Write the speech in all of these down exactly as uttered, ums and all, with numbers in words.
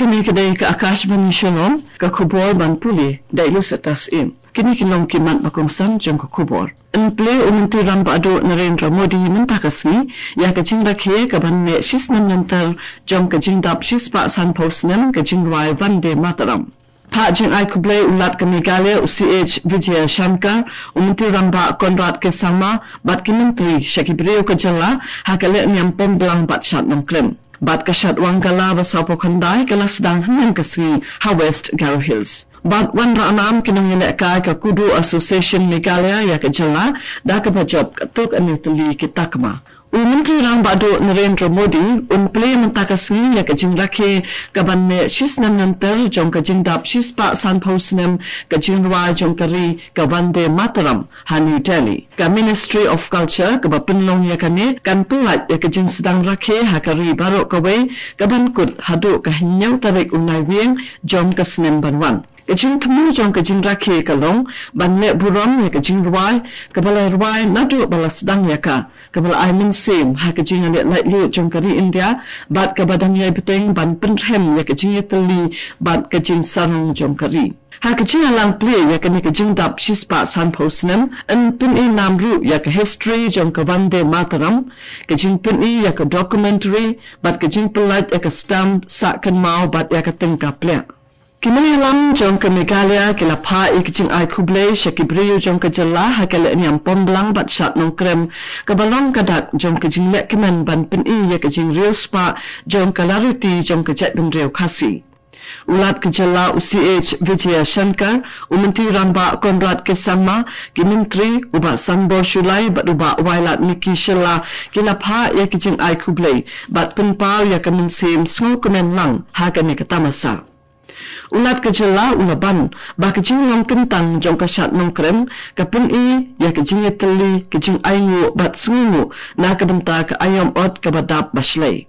Kane ka dei ka Akashvani Shillong, ka khubor ban pule da i Lucetas Im. Kine ki long ki mat ba kongsan jong ka khubor. Yn plie u Myntri Rangbah Duh Narendra Modi mynta ka sngi ïa ka jingrakhe ka ban neh shisnem lynter jong ka jingdap shispah sanphew snem ka jingrwai Vande Mataram. Phah jingai khublei u Lat ka Meghalaya u C H Vijayashankar, u Myntri Rangbah Conrad K Sangma bad ki myntri sha ki briew ka jylla ha ka lehniam Pomblang bad Shad Nongkrem. Bad ka Shad Wangala ba sawphew khyndai ka la sdang hynnin ka sngi ha West Garo Hills. Bad wanrah nam ki nongïalehkai ka Kudu Association Meghalaya ïa ka jylla da kaba jop katto katne tylli ki takma. U Myntri Rangbah Duh Narendra Modi un plie mynta ka sngi ïa ka jingrakhe ka ban neh shisnem lynter jong ka jingdap shispah sanphew snem ka jingrwai jong ka ri ka Vande Mataram ha New Delhi. Ka Ministry of Culture kaba pynlong ïa kane kan pyllait ïa ka jingsdang rakhe ha ka ri baroh kawei ka ban kut haduh ka hynñiew tarik u Naiwieng jong ka snem ban wan. Ka jingthmu jong ka jingrakhe ka long ban leh burom ïa ka jingrwai kaba la rwai naduh ba la sdang ïa ka, kaba la ai mynsiem ha ka jingïaleh laitluid jong ka ri India bad kaba dang ïai bteng ban pynrhem ïa ka jingïatylli bad ka jingsarong jong ka ri. Ha ka jingïalang plie ïa kane ka jingdap shispah sanphew snem, yn pyni nam ruh ïa ka history jong ka Vande Mataram, ka jingpyni ïa ka documentary bad ka jingpyllait ïa ka stamp sah kynmaw bad ïa ka tyngka pliah. Ki nongïalam jong ka Meghalaya ki la phah ïa ka jingai khublei sha ki briew jong ka jylla ha ka lehniam Pomblang bad Shad Nongkrem kaba long ka dak jong ka jingleh kmen ban pyni ïa ka jingriewspah jong ka lariti jong ka jaitbynriew Khasi. U Lat ka jylla u C H Vijayashankar, u Myntri Rangbah Conrad K Sangma, ki myntri, u Bah Sanbor Shullai bad u Bah Wailadmiki Shylla ki la phah ïa ka jingai khublei bad pynpaw ïa ka mynsiem sngewkmen lang ha kane ka tamasa. U Lat ka jylla u la ban ba ka jinglong kyntang jong ka Shad Nongkrem ka pyni ïa ka jingïatylli, ka jingainguh bad sngewnguh na ka bynta ka aïom ot kaba dap ba shlei.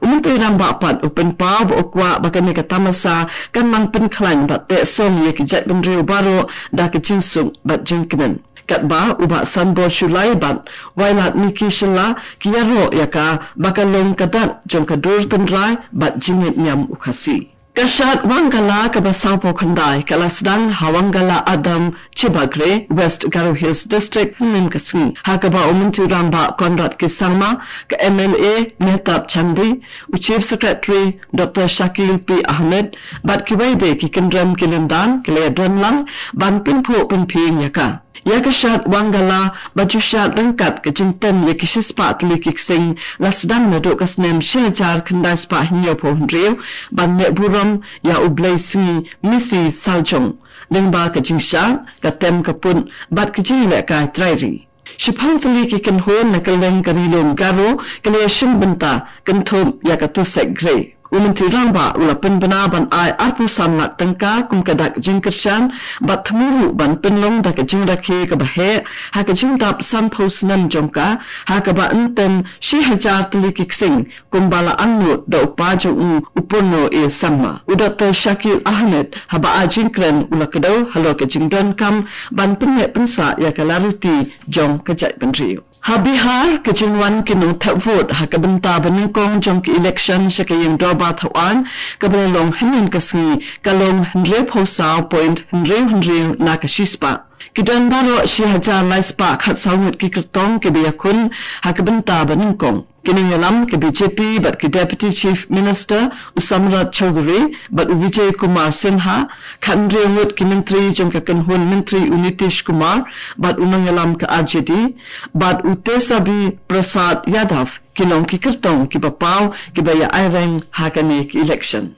U Myntri Rangbah pat u pynpaw ba u kwah ba kane ka tamasa kan nang pynkhlaiñ bad teh song ïa ki jaitbynriew baroh da ka jingsuk bad jingkmen. Katba u Bah Sanbor Shullai bad Wailadmiki Shylla ki ïaroh ïa ka ba ka long ka dak jong ka dur tynrai bad jingngeit niam u Khasi. Ka Shad Wangala kaba sawphew khyndai ka la sdang ha Wangala Adam Chibagre, West Garo Hills District, hynnin ka sngi. Ha kaba u Myntri Rangbah Conrad K Sangma, ka M L A Mehtab Chandee, u Chief Secretary Doctor Shakil P Ahmed, bad kiwei de ki kynrem ki lyndan ki la ïadon lang ban pynphuh pynphieng ïa ka. Ïa ka Shad Wangala ba ju shad ryngkat ka jingtem ïa ki shispah tylli ki ksing la sdang naduh ka snem shi hajar khyndai spah hynñiewphew hynriew ban leh burom ïa u blei sngi Misi Saljong. Lyngba ka jingshad, ka tem ka put bad ka jingïalehkai trai ri. Shiphew tylli ki kynhun na kylleng ka Ri Lum Garo ki la ïashim bynta kynthup ïa ka Tusek Grey. U Myntri Rangbah u la pynbna ban ai arphew san lak tyngka kum ka dak jingkyrshan bad thmu ruh ban pynlong da ka jingrakhe kaba heh ha ka jingdap sanphew snem jong ka, ha kaba yn tem shi hajar tylli ki ksing kumba la angnud da u pa jong u, u Purno A Sangma. U Doctor Shakil Ahmed haba ai jingkren u la kdew halor ka jingdonkam ban pynneh pynsah ïa ka lariti jong ka jaitbynriew. Ha Bihar, ka jingwan ki nongthep vote ha ka bynta ba nyngkong jong ka election sha ka ïing dorbar thawaiñ kaba la long hynnin ka sngi ka long hynriewphew saw point hynriew hynriew na ka shispah. Ki don baroh shi hajar lai spah khatsaw ngut ki kyrtong kiba ïakhun ha ka bynta ba nyngkong. Ki nongïalam ka B J P bad ki Deputy Chief Minister u Samrat Chaudhary bad u Vijay Kumar Sinha, khathynriew ngut ki myntri jong ka kynhun myntri u Nitish Kumar bad u nongïalam ka R J D, bad u Tejabi Prasad Yadav ki long ki kyrtong kiba paw kiba ïa aireng ha kane ka election.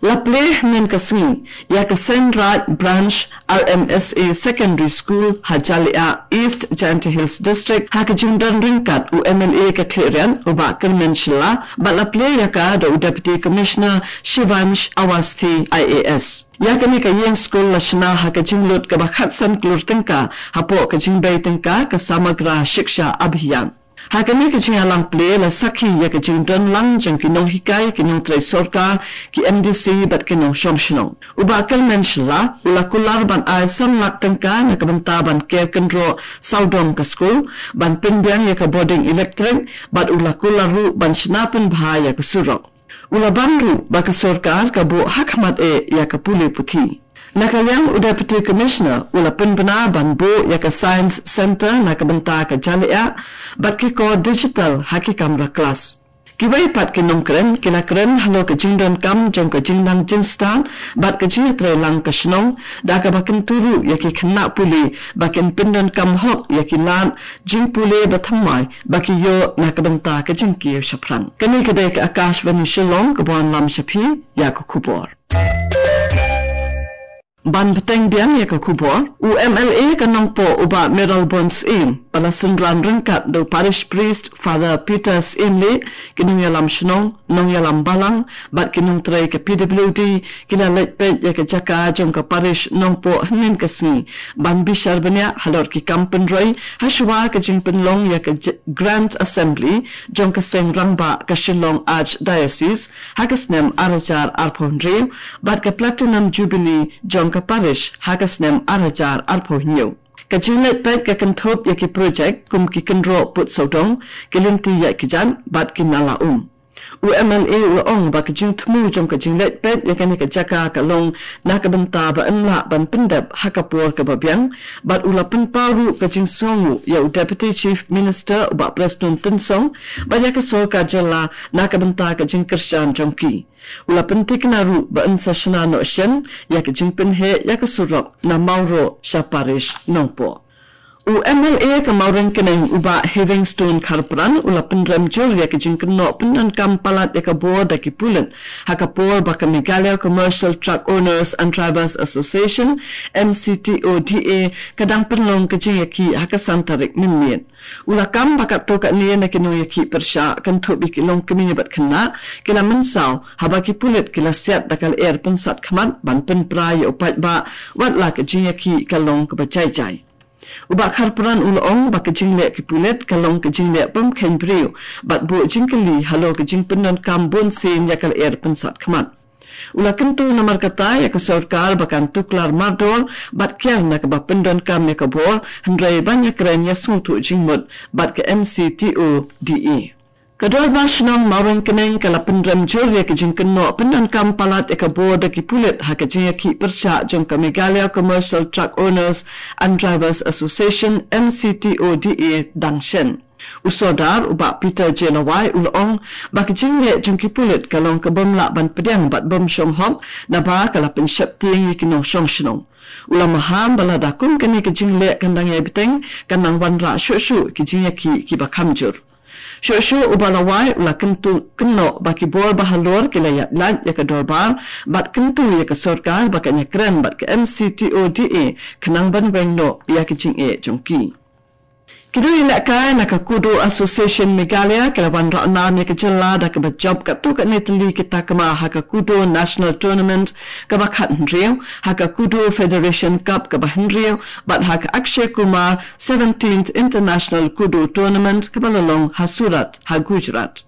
La plie hynnin ka sngi ïa ka Seinraij Branch R M S A Secondary School ha Jalyiah, East Jaintia Hills District, ha ka jingdon ryngkat u M L A ka Khliehriat u Bah Kyrmen Shylla, bad la plie ïa ka da u Deputy Commissioner Shivansh Awasthi I A S. Ïa kane ka ïing skul la shna ha ka jinglut kaba khatsan klur tyngka hapoh ka jingbei tyngka ka Samagra Shiksha Abhiyan. Ha kane ka jingïalang plie la sakhi ïa ka jingdon lang jong ki nonghikai, ki nongtrei sorkar, ki M D C bad ki nongshong shnong. U Bah Kyrmen Shylla u la kular ban ai san lak tyngka na ka bynta ban ker kynroh sawdong ka skul, ban pynbiang ïa ka bording electric, bad u la kular ruh ban shna pynbha ïa ka surok. U la ban ruh ba ka sorkar ka buh hakhmat eh ïa ka pule puthi. Na ka liang u Deputy Commissioner u la pynbna ban buh ïa ka Science Centre na ka bynta ka jingïaleh bad ki kor digital ha ki kamra klas. Kiwei pat ki nongkren ki la kren halor ka jingdonkam jong ka jingnang jingstad bad ka jingïatreilang ka shnong da kaba kyntu ruh ïa ki khynnah pule ba kin pyndonkam hok ïa ki lad jingpule ba thymmai ba ki ïoh na ka bynta ka jingkiew shaphrang. Kane ka dei ka Akashvani Shillong kaba wanlam sha phi ïa ka khubor. Ban bteng biang ïa ka khubor, u M L A ka Nongpoh u Bah Mayralborn Syiem, ba la synran ryngkat da u Parish Priest Father Peter Syiemlieh, ki nongïalam shnong, nongïalam balang bad ki nongtrei ka P W D, ki la leit peit ïa ka jaka jong ka Parish Nongpoh hynnin ka sngi ban bishar bniah halor ki kam pynroi hashwa ka jingpynlong ïa ka j- Grand Assembly jong ka Seng Rangbah ka Shillong Archdiocese ha ka snem ar hajar arphew hynriew bad ka Platinum Jubilee jong ka Parish ha ka snem ar hajar arphew hynñiew. Ka jingleit peit ka kynthup ïa ki projek kum ki kynroh put sawdong, ki lynti ïaid kjat bad ki nala um. U M L A u la ong ba ka jingthmu jong ka jingleit peit ïa kane ka jaka ka long na ka bynta ba yn lah ban pyndep ha ka por kaba biang bad u la pynpaw ruh ka jingsngewnguh ïa u Deputy Chief Minister u Bah Prestone Tynsong bad ïa ka sorkar jylla na ka bynta ka jingkyrshan jong ki. U la pynthikna ruh ba yn sa shna noh shen ïa ka jingpynheh ïa ka surok na Mawroh sha Parish Nongpoh. U M L A ka Mawryngkneng u Bah Heavingstone Kharpran u la pynrem jur ïa ka jingkynnoh pyndonkam palat ïa ka bor da ki pulit ha ka por ba ka Meghalaya Commercial Truck Owners and Drivers Association, M C T O D A, ka dang pynlong ka jingïakhih ha ka san tarik mynmiet. U la kam ba katto katne na ki nongïakhih pyrshah kynthup ïa ki longkmie bad khynnah ki la mynsaw haba ki pulit ki la siat da ka lyer pynsat khmat ban pynpra ïa u paidbah wat la ka jingïakhih ka long kaba jai jai. U Bah Kharpran u la ong ba ka jingleh ki pulit ka long ka jingleh bym kheiñ briew bad buh jingkylli halor ka jingpyndonkam bunsien ïa ka lyer pynsat khmat. U la kyntu namar kata ïa ka sorkar ba kan tuklar mardor bad kiar na kaba pyndonkam ïa ka bor hynrei ban ïakren ïa sngewthuh jingmut bad ka M C T O D A. Ka Dorbar Shnong Mawryngkneng ka la pynrem jur ïa ka jingkynnoh pyndonkam palat ïa ka bor da ki pulit ha ka jingïakhih pyrshah jong ka Meghalaya Commercial Truck Owners and Drivers Association, M C T O D A, dang shen. U Sordar u Bah Peter J Lawai u la ong ba ka jingleh jong ki pulit ka long ka bym lah ban pdiang bad bym shong hok naba ka la pynsheptieng ïa ki nongshong shnong. U la maham ba lada kum kane ka jingleh kan dang ïai bteng kan nang wanrah shuh shuh ki jingïakhih kiba kham jur. Shuh shuh u Bah Lawai u la kyntu kynnoh ba ki bor ba halor ki la ïaid lait ïa ka dorbar bad kyntu ïa ka sorkar ba kan ïakren bad ka M C T O D A khnang ban weng noh ïa ka jingeh jong ki. Ki nongïalehkai na ka Kudo Association Meghalaya ki la wanrah nam ïa ka jylla da kaba jop katto katne tylli ki takma ha ka Kudo National Tournament kaba khathynriew, ha ka Kudo Federation Cup kaba hynriew bad ha ka Akshay Kumar seventeenth International Kudo Tournament kaba la long ha Surat ha Gujarat.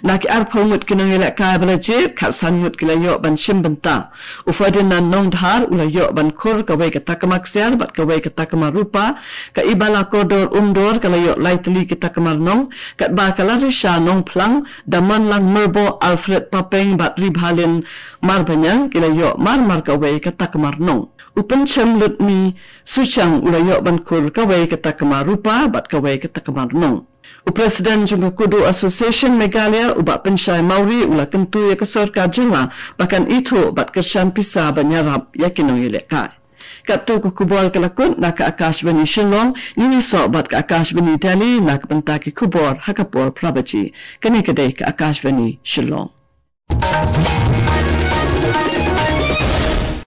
Na ki arphew ngut ki nongïalehkai ba la jied, khatsan ngut ki la ïoh ban shim bynta. U Ferdinand Nongdhar u la ïoh ban khur kawei ka takma ksiar bad kawei ka takma rupa, ka Ibala Kordor Umdor ka la ïoh lai tylli ki takma rnong, katba ka Larisha Nongphlang, Damonlang Myrboh, Alfred Papeng bad Ribhalin Marbaniang ki la ïoh mar mar kawei ka takma rnong. U Pynchem Lutmi Suchang u la ïoh ban khur kawei ka takma rupa bad kawei ka takma rnong. U President jong ka Kudo Association Meghalaya u Bah Pynshai Mawrie u la kyntu ïa ka sorkar jylla ba kan ithuh bad kyrshan pisa ban ïarap ïa ki nongïalehkai. Katto ka khubor ka la kut na ka Akashvani Shillong, ngin ïasoh bad ka Akashvani Delhi na ka bynta ki khubor ha ka por phra baje. Kane ka dei ka Akashvani Shillong.